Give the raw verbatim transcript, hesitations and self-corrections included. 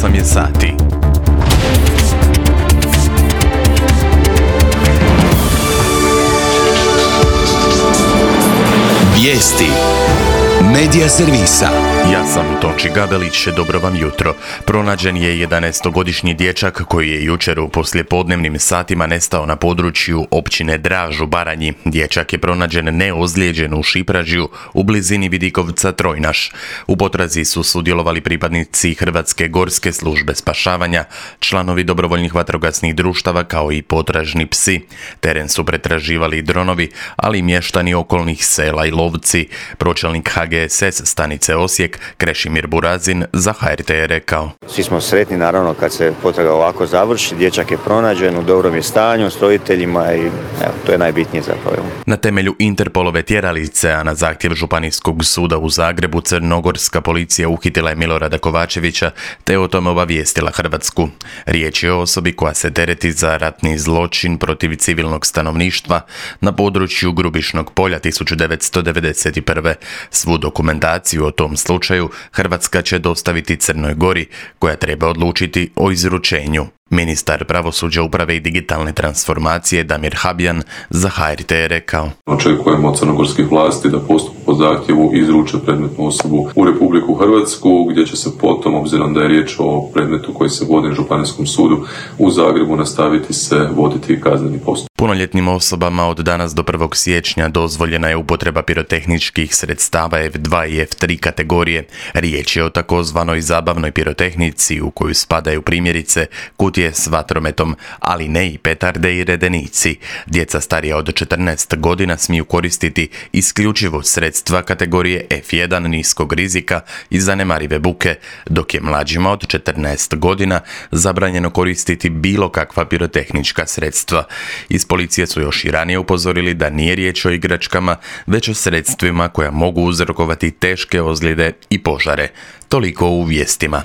osam je sati. Vijesti Medija servisa. Ja sam Tonči Gabelić, dobro vam jutro. Pronađen je jedanaestogodišnji dječak koji je jučer u poslijepodnevnim satima nestao na području općine Draž u Baranji. Dječak je pronađen neozlijeđen u Šipražju u blizini Vidikovca Trojnaš. U potrazi su sudjelovali pripadnici Hrvatske gorske službe spašavanja, članovi dobrovoljnih vatrogasnih društava kao i potražni psi. Teren su pretraživali dronovi, ali i mještani okolnih sela i lovci. Pročelnik H G S S stanice Osijek Krešimir Burazin za H R T je rekao: Svi smo sretni naravno kad se potraga ovako završi, dječak je pronađen, u dobrom je stanju s roditeljima i evo, to je najbitnije zapravo. Na temelju Interpolove tjeralice, a na zahtjev Županijskog suda u Zagrebu, crnogorska policija uhitila je Milorada Kovačevića te o tome obavijestila Hrvatsku. Riječ je o osobi koja se tereti za ratni zločin protiv civilnog stanovništva na području Grubišnog polja tisuću devetsto devedeset prve. Svu dokumentaciju o tom slučaju Hrvatska će dostaviti Crnoj Gori, koja treba odlučiti o izručenju. Ministar pravosuđa, uprave i digitalne transformacije Damir Habjan za H R T je rekao: Očekujemo od crnogorskih vlasti da postup po zahtjevu izruče predmetnu osobu u Republiku Hrvatsku, gdje će se potom, obzirom da je riječ o predmetu koji se vodi na Županijskom sudu u Zagrebu, nastaviti se voditi kazneni postupak. Punoljetnim osobama od danas do prvog siječnja dozvoljena je upotreba pirotehničkih sredstava F dva i F tri kategorije. Riječ je o takozvanoj zabavnoj pirotehnici u koju spadaju primjerice kutije s vatrometom, ali ne i petarde i redenici. Djeca starija od četrnaest godina smiju koristiti isključivo sredstva kategorije F jedan niskog rizika i zanemarive buke, dok je mlađima od četrnaest godina zabranjeno koristiti bilo kakva pirotehnička sredstva. Iz policije su još i ranije upozorili da nije riječ o igračkama, već o sredstvima koja mogu uzrokovati teške ozljede i požare. Toliko u vijestima.